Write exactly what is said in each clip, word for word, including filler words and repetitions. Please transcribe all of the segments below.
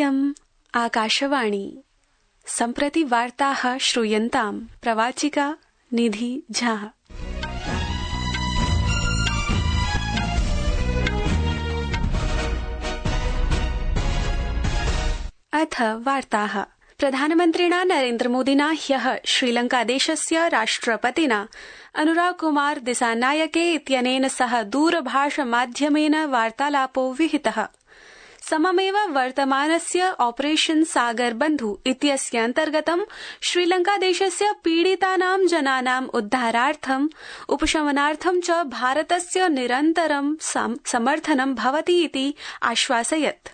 इयम् आकाशवाणी। सम्प्रति वार्ताः श्रूयन्ताम्। प्रवाचिका निधि झा। अथ वार्ताः। प्रधानमन्त्रिणा नरेन्द्रमोदिना ह्यः श्रीलंकादेशस्य राष्ट्रपतिना अनुराग कुमार दिसानायके इत्यनेन सह दूरभाषमाध्यमेन वार्तालापो विहितः। सममेव वर्तमानस्य ऑपरेशन सागर बन्धु इत्यस्य अन्तर्गतं श्रीलंकादेशस्य पीडितानां जनानाम् उद्धारार्थम् उपशमनार्थं च भारतस्य निरन्तरं समर्थनं भवति इति आश्वासयत्।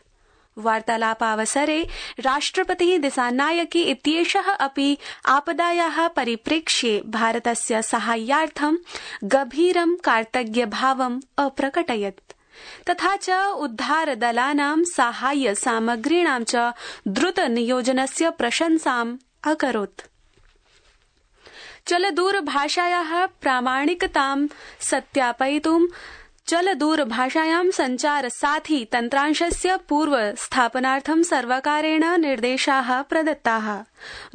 वार्तालापावसरे राष्ट्रपतिः दिसानायके इत्येषः अपि आपदायाः परिप्रेक्ष्ये भारतस्य साहाय्यार्थं गभीरं कार्तज्ञभावम् अप्रकटयत्। तथा च उद्धारदलानां साहाय्य सामग्रीणां च द्रुत नियोजनस्य प्रशंसाम् अकरोत्। चलदूरभाषायाः प्रामाणिकतां सत्यापयितुं चलदूरभाषायां संचारसाथी तन्त्रांशस्य पूर्वस्थापनार्थं सर्वकारेण निर्देशाः प्रदत्ताः।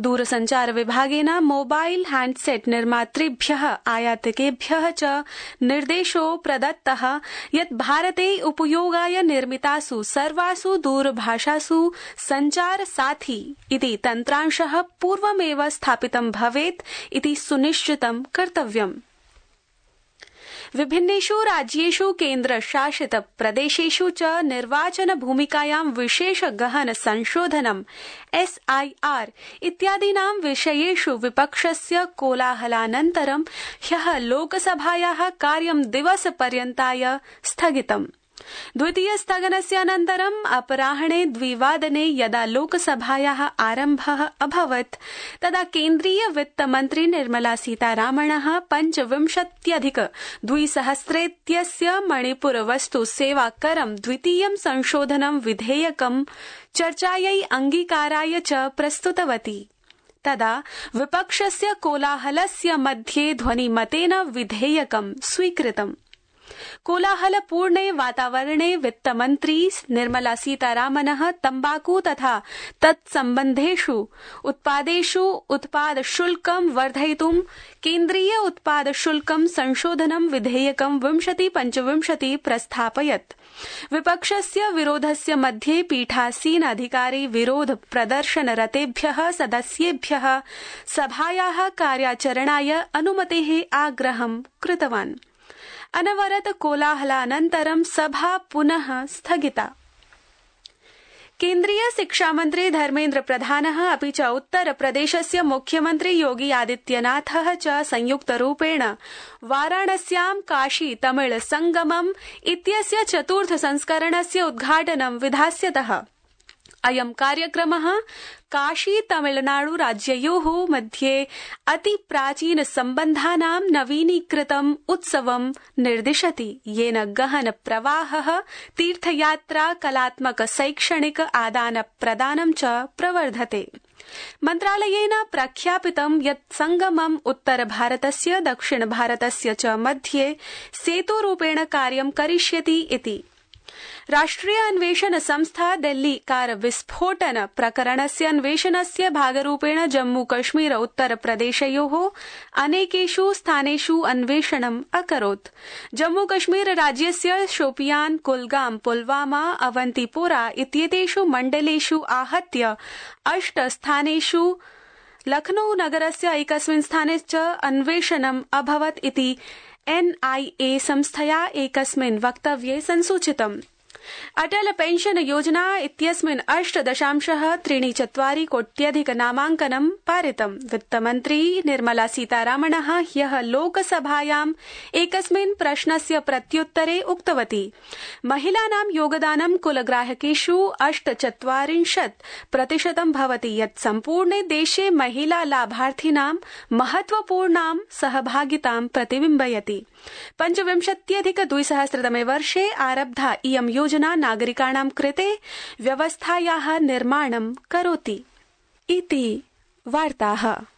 दूरसंचार विभागेन मोबाइल हैंडसेट निर्मातृभ्यः आयातकेभ्यः च निर्देशो प्रदत्तः यत् भारते उपयोगाय निर्मितासु सर्वासु दूरभाषासु संचारसाथी इति तन्त्रांशः पूर्वमेव स्थापितं भवेत् इति सुनिश्चितं कर्तव्यम्। विभिन्नेषु राज्येषु केन्द्रशासित प्रदेशेषु च निर्वाचन भूमिकायां विशेष गहन संशोधनम् एस आई आर इत्यादीनां विषयेषु विपक्षस्य कोलाहलानन्तरं ह्यः लोकसभायाः कार्यं दिवसपर्यन्ताय स्थगितम्। द्वितीय स्थगनस्य अनन्तरम् अपराह्णे द्विवादने यदा लोकसभायाः आरम्भः अभवत् तदा केन्द्रीय वित्तमन्त्री निर्मला सीतारामणः पञ्चविंशत्यधिक द्विसहस्रेत्यस्य मणिपुर वस्तु सेवा करं द्वितीयं संशोधनं विधेयकं चर्चायै अङ्गीकाराय च प्रस्तुतवती। तदा विपक्षस्य कोलाहलस्य मध्ये ध्वनिमतेन विधेयकं स्वीकृतम्। कोलाहलपूर्णे वातावरणे वित्तमन्त्री निर्मला सीतारामनः तम्बाकू तथा तत्सम्बन्धेषु उत्पादेषु उत्पादशुल्कं वर्धयितुं केन्द्रीय उत्पादशुल्कं संशोधनं विधेयकं विंशति पञ्चविंशति प्रस्थापयत्। विपक्षस्य विरोधस्य मध्ये पीठासीन अधिकारी विरोध प्रदर्शनरतेभ्यः सदस्येभ्यः सभायाः कार्याचरणाय अनुमतेः आग्रहं कृतवान्। अनवरत कोलाहलानन्तरं सभा पुनः स्थगिता। केन्द्रीय शिक्षामन्त्री धर्मेन्द्र प्रधानः अपि च उत्तरप्रदेशस्य मुख्यमन्त्री योगी आदित्यनाथः च संयुक्तरूपेण वाराणस्यां काशी तमिल संगमम् इत्यस्य चतुर्थ संस्करणस्य उद्घाटनं विधास्यतः। अयं कार्यक्रमः काशी तमिलनाडु राज्ययोः मध्ये अति प्राचीन सम्बन्धानां नवीनीकृतम् उत्सवं निर्दिशति, येन गहन प्रवाहः तीर्थयात्रा कलात्मक शैक्षणिक आदान प्रदानं च प्रवर्धते। मन्त्रालयेन प्रख्यापितं यत् संगमम् उत्तरभारतस्य दक्षिणभारतस्य च मध्ये सेतुरूपेण कार्यं करिष्यति इति। राष्ट्रिय अन्वेषण संस्था दिल्ली कार विस्फोटन प्रकरणस्य अन्वेषणस्य भागरूपेण जम्मू कश्मीर उत्तर प्रदेशयोः अनेकेषु स्थानेषु अन्वेषणम् अकरोत्। जम्मू कश्मीर राज्यस्य शोपियान, कुलगाम, पुलवामा, अवंतीपोरा इत्येतेषु मण्डलेषु आहत्य अष्ट स्थानेषु लखनऊ नगरस्य एकस्मिन् स्थाने च अन्वेषणम् अभवत् इति एन आई ए संस्थया एकस्मिन् वक्तव्ये संसूचितम्। अटल पेंशन योजना इत्यस्मिन् अष्ट दशांशः त्रीणि चत्वारि कोट्यधिक नामाङ्कनं पारितम्। वित्तमन्त्री निर्मला सीतारामणः ह्यः लोकसभायाम् एकस्मिन् प्रश्नस्य प्रत्युत्तरे उक्तवती महिलानां योगदानं कुलग्राहकेषु अष्टचत्वारिंशत् प्रतिशतं भवति, यत् सम्पूर्णे देशे महिला लाभार्थिनां महत्वपूर्णां सहभागितां प्रतिबिम्बयति। पञ्चविंशत्यधिक द्विसहस्रतमे वर्षे आरब्धा इयं योजना नागरिकाणां कृते व्यवस्थायाः निर्माणं करोति इति वार्ताः।